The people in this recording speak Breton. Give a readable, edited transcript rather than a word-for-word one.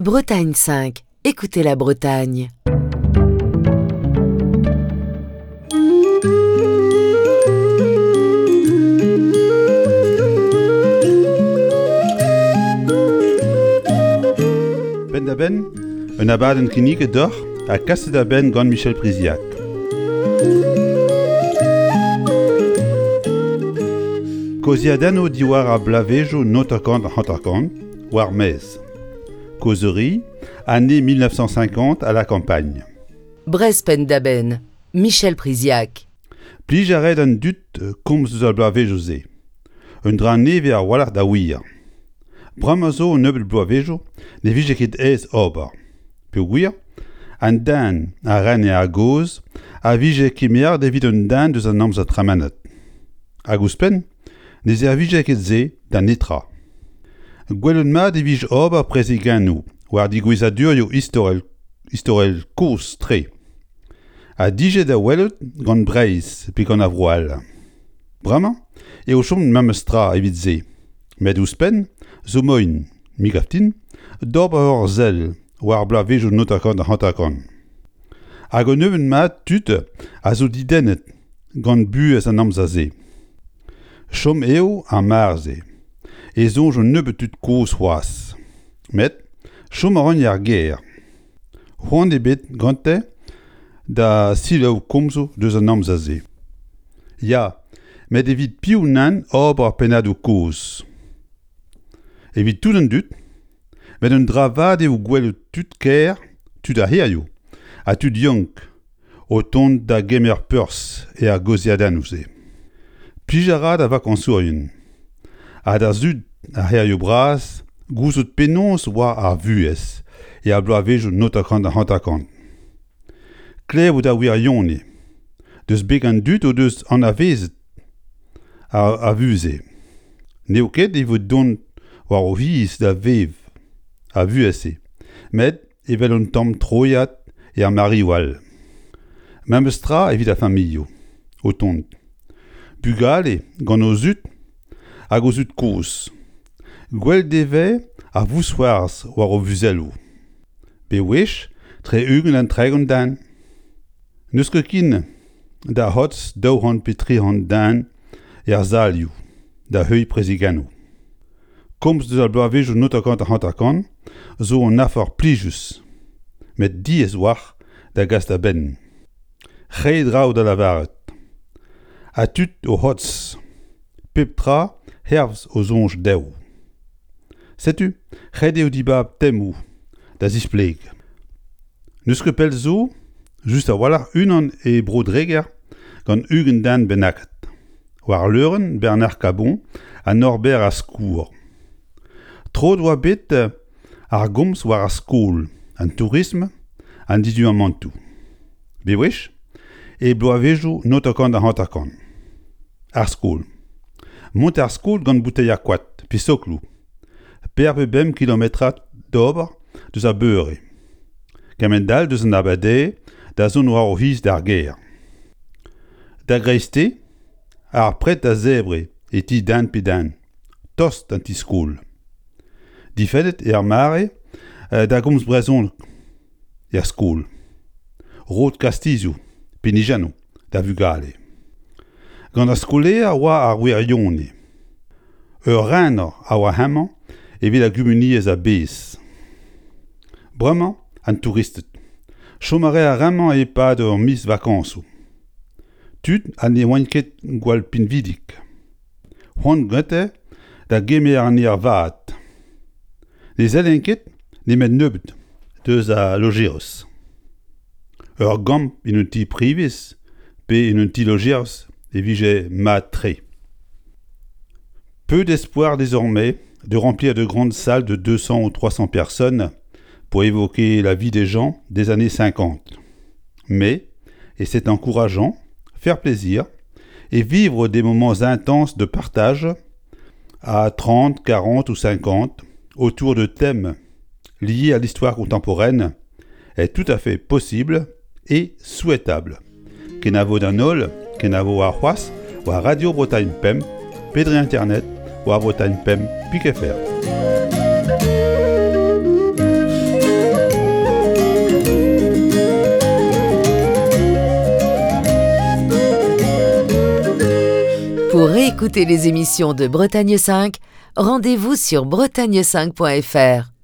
Bretagne 5, écoutez la Bretagne. Penn-da-benn, un abadenn kinniget deoc'h ha kaset a-benn gant Michel Priziac. Kaozeadennoù diwar ar bloavezhioù 1950 war maez. Causerie, année 1950 à la campagne. Brest penn-da-benn, Michel Priziac. Plij a rae d'an dud komz eus ar bloavezhioù-se. Un dra nevez a-walc'h da wir. Bremañ zo un nebeud bloavezhioù ne vije ket aes ober. Peogwir an den a rene a-gozh a vije kemeret evit un den deus an amzer tremenet. Hag ouzhpenn ne servije ket se da netra. Gwelet mat e vije ober prezegennoù war digouezadurioù istorel istorel kozh-tre ha dije da welout gant Breizh pe gant ar vro all. Bremañ eo chomet memes tra evit se, met ouzhpenn zo moaien, me 'gav din, d'ober ur sell war bloavezhioù 1950. Hag un nebeud mat tud a zo didennet gant buhez an amzer-se. Chom eo ar mare-se e soñj un nebeud tud kozh c'hoazh. Met chom a ran er gêr. C'hoant ebet gante da selaou komzoù deus an amzer-se. Ya, met evit piv nann ober pennadoù kozh? Evit tout an dud, met un dra vat eo gwelout tud kêr, tud ar c'hêrioù ha tud yaouank o tont da gemer perzh er gaozeadennoù-se. Plij a ra da vakañsourien ha da zud ar c'hêrioù bras gouzout penaos oa ar vuhez er bloavezhioù 1950. Klevout ar wirionez deus beg an dud o deus anavezet ar vuhez-se. N'eo ket evit dont war o c'hiz da vev ar vuhez-se, met evel un tamm troiad er mareoù all. Memes tra evit ar familhoù o tont. Bugale gant o zud hag o zud-kozh. Gwell dezhe ar vousc'hoarzh war o vuzelloù. Bewech tre 20 ha 30 den. N'eus ket ken da c'hortoz 200 pe 300 den er salioù da heuilh prezegennoù. Komz deus ar bloavezhioù 1950 zo un afer plijus, met diaes 'walc'h da gas da benn. Re draoù da lavaret. Ha tud o c'hortoz. Pep tra hervez o soñj dezho. Setu ret eo dibab temoù da zispleg. N'eus ket pell zo, just a-walc'h unan e Bro-Dreger gant 20 den bennaket. War leurenn Bernard Cabon ha Norbert Askour. Troet oa bet ar gomz war ar skol, an tourism, an diduamantoù. Bewech e bloavezhioù 1950. Ar skol. Mont d'ar skol gant bouteier koad pe sokloù. Per pe bemp kilometrad d'ober deus ar beure. Kement-all deus an abardaez da zont war o c'hiz d'ar gêr. Da greisteiz, ar pred a zebre e ti den pe den, tost d'an ti-skol. Difennet eo ar mare da gomz brezhoneg er skol. Rod kastizioù, pinijennoù da vugale. Gant ar skolaer oa ar wirionez. Ur rener a oa hemañ evit ar gumuniezh a-bezh. Bremañ an touristed. Chom a rae ar re-mañ e-pad ur miz vakañsoù. Tud ha ne oant ket gwall pinvidik. C'hoant gante da gemer an aer vat. Ne sellent ket nemet nebeut deus al lojeris. Ur gambr en un ti privez pe en un ti-lojeris e vije mat-tre. Peu d'espoir désormais de remplir de grandes salles de 200 ou 300 personnes pour évoquer la vie des gens des années 50. Mais, et c'est encourageant, faire plaisir et vivre des moments intenses de partage à 30, 40 ou 50 autour de thèmes liés à l'histoire contemporaine est tout à fait possible et souhaitable. Kenavo d'an holl, kenavo warc'hoazh war Radio Bretagne Pemp, pe dre internet war Bretagne Pemp pik fr. Pour réécouter les émissions de Bretagne 5, rendez-vous sur bretagne5.fr.